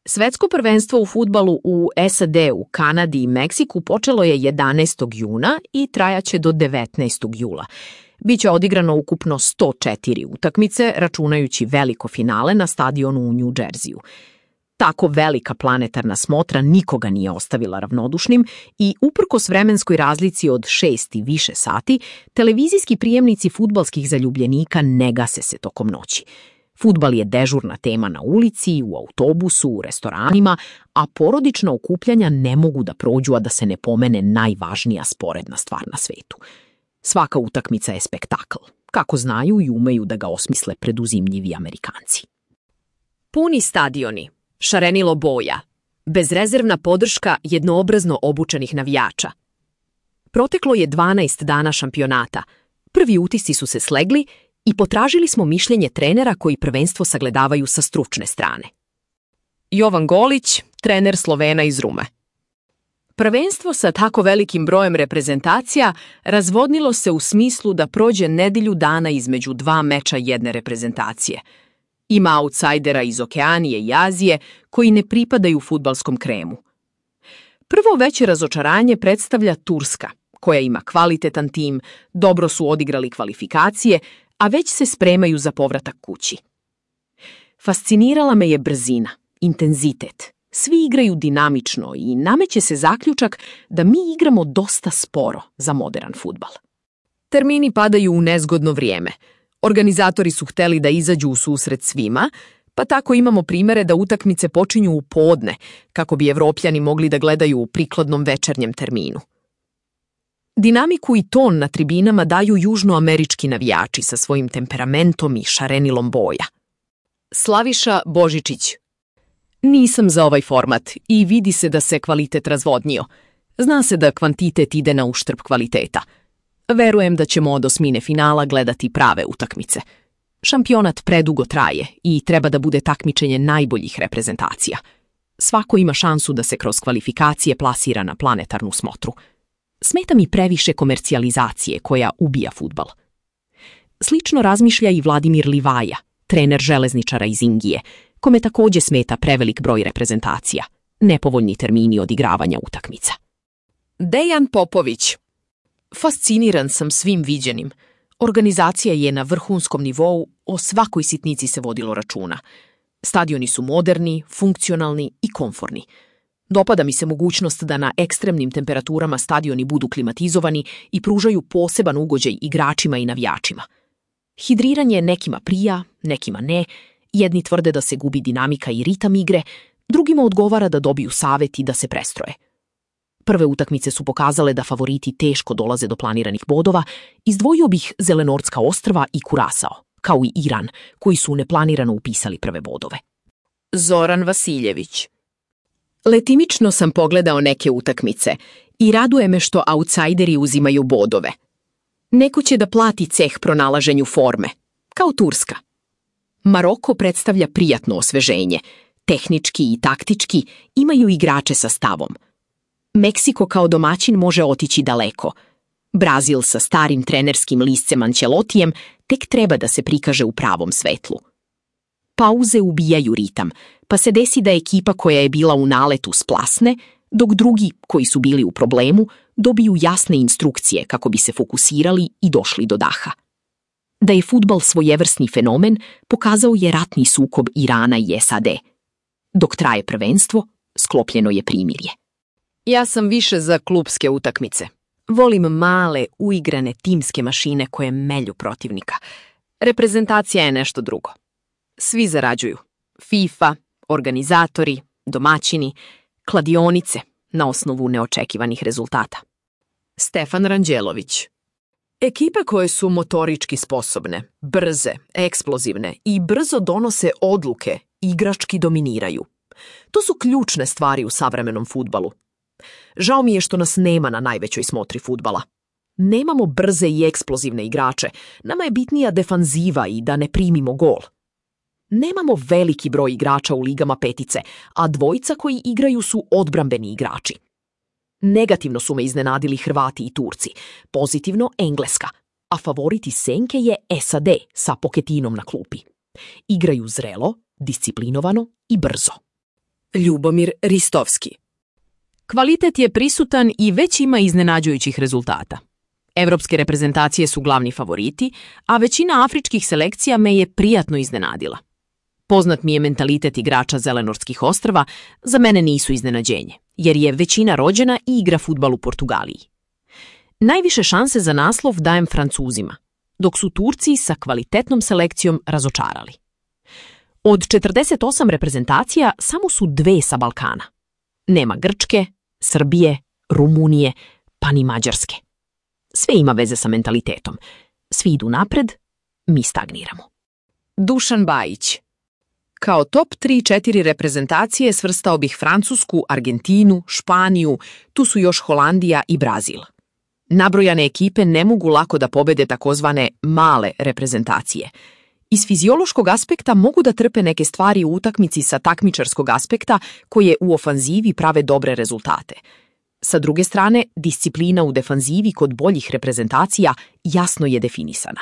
Svetsko prvenstvo u fudbalu u SAD-u, Kanadi i Meksiku počelo je 11. juna i trajaće do 19. jula. Biće odigrano ukupno 104 utakmice, računajući veliko finale na stadionu u New Jersey-u. Tako velika planetarna smotra nikoga nije ostavila ravnodušnim i uprkos vremenskoj razlici od 6 i više sati, televizijski prijemnici fudbalskih zaljubljenika ne gase se tokom noći. Fudbal je dežurna tema na ulici, u autobusu, u restoranima, a porodična okupljanja ne mogu da prođu, a da se ne pomene najvažnija sporedna stvar na svetu. Svaka utakmica je spektakl, kako znaju i umeju da ga osmisle preduzimljivi Amerikanci. Puni stadioni, šarenilo boja, bezrezervna podrška jednoobrazno obučenih navijača. Proteklo je 12 dana šampionata. Prvi utisci su se slegli i potražili smo mišljenje trenera koji prvenstvo sagledavaju sa stručne strane. Jovan Golić, trener Slovena iz Rume. Prvenstvo sa tako velikim brojem reprezentacija razvodnilo se u smislu da prođe nedelju dana između dva meča jedne reprezentacije. Ima autsajdera iz Okeanije i Azije koji ne pripadaju fudbalskom kremu. Prvo veće razočaranje predstavlja Turska, koja ima kvalitetan tim, dobro su odigrali kvalifikacije, a već se spremaju za povratak kući. Fascinirala me je brzina, intenzitet. Svi igraju dinamično i nameće se zaključak da mi igramo dosta sporo za modern fudbal. Termini padaju u nezgodno vrijeme. Organizatori su hteli da izađu u susret svima, pa tako imamo primere da utakmice počinju u podne, kako bi Evropljani mogli da gledaju u prikladnom večernjem terminu. Dinamiku i ton na tribinama daju južnoamerički navijači sa svojim temperamentom i šarenilom boja. Slaviša Božičić. Nisam za ovaj format i vidi se da se kvalitet razvodnio. Zna se da kvantitet ide na uštrb kvaliteta. Verujem da ćemo od osmine finala gledati prave utakmice. Šampionat predugo traje i treba da bude takmičenje najboljih reprezentacija. Svako ima šansu da se kroz kvalifikacije plasira na planetarnu smotru. Smeta mi previše komercijalizacije koja ubija fudbal. Slično razmišlja i Vladimir Livaja, trener železničara iz Ingije, kome takođe smeta prevelik broj reprezentacija, nepovoljni termini odigravanja utakmica. Dejan Popović. Fasciniran sam svim viđenim. Organizacija je na vrhunskom nivou, o svakoj sitnici se vodilo računa. Stadioni su moderni, funkcionalni i komforni. Dopada mi se mogućnost da na ekstremnim temperaturama stadioni budu klimatizovani i pružaju poseban ugođaj igračima i navijačima. Hidriranje nekima prija, nekima ne, jedni tvrde da se gubi dinamika i ritam igre, drugima odgovara da dobiju savet i da se prestroje. Prve utakmice su pokazale da favoriti teško dolaze do planiranih bodova, izdvojio bih Zelenortska ostrva i Kurasao, kao i Iran, koji su neplanirano upisali prve bodove. Zoran Vasiljević. Letimično sam pogledao neke utakmice i raduje me što autsajderi uzimaju bodove. Neko će da plati ceh pronalaženju forme, kao Turska. Maroko predstavlja prijatno osveženje, tehnički i taktički imaju igrače sa stavom. Meksiko kao domaćin može otići daleko. Brazil sa starim trenerskim liscem Ancelotijem tek treba da se prikaže u pravom svetlu. Pauze ubijaju ritam, pa se desi da ekipa koja je bila u naletu splasne, dok drugi, koji su bili u problemu, dobiju jasne instrukcije kako bi se fokusirali i došli do daha. Da je fudbal svojevrsni fenomen, pokazao je ratni sukob Irana i SAD. Dok traje prvenstvo, sklopljeno je primirje. Ja sam više za klupske utakmice. Volim male, uigrane timske mašine koje melju protivnika. Reprezentacija je nešto drugo. Svi zarađuju. FIFA, organizatori, domaćini, kladionice na osnovu neočekivanih rezultata. Stefan Ranđelović. Ekipe koje su motorički sposobne, brze, eksplozivne i brzo donose odluke, igrački dominiraju. To su ključne stvari u savremenom fudbalu. Žao mi je što nas nema na najvećoj smotri fudbala. Nemamo brze i eksplozivne igrače, nama je bitnija defanziva i da ne primimo gol. Nemamo veliki broj igrača u ligama petice, a dvojica koji igraju su odbrambeni igrači. Negativno su me iznenadili Hrvati i Turci, pozitivno Engleska, a favorit iz senke je SAD sa Poketinom na klupi. Igraju zrelo, disciplinovano i brzo. Ljubomir Ristovski. Kvalitet je prisutan i već ima iznenađujućih rezultata. Evropske reprezentacije su glavni favoriti, a većina afričkih selekcija me je prijatno iznenadila. Poznat mi je mentalitet igrača Zelenorskih ostrva, za mene nisu iznenađenje, jer je većina rođena i igra fudbal u Portugaliji. Najviše šanse za naslov dajem Francuzima, dok su Turci sa kvalitetnom selekcijom razočarali. Od 48 reprezentacija samo su 2 sa Balkana. Nema Grčke, Srbije, Rumunije, pa ni Mađarske. Sve ima veze sa mentalitetom. Svi idu napred, mi stagniramo. Dušan Bajić. Kao top 3-4 reprezentacije svrstao bih Francusku, Argentinu, Španiju, tu su još Holandija i Brazil. Nabrojane ekipe ne mogu lako da pobede takozvane male reprezentacije. Iz fiziološkog aspekta mogu da trpe neke stvari u utakmici sa takmičarskog aspekta koje u ofanzivi prave dobre rezultate. Sa druge strane, disciplina u defanzivi kod boljih reprezentacija jasno je definisana.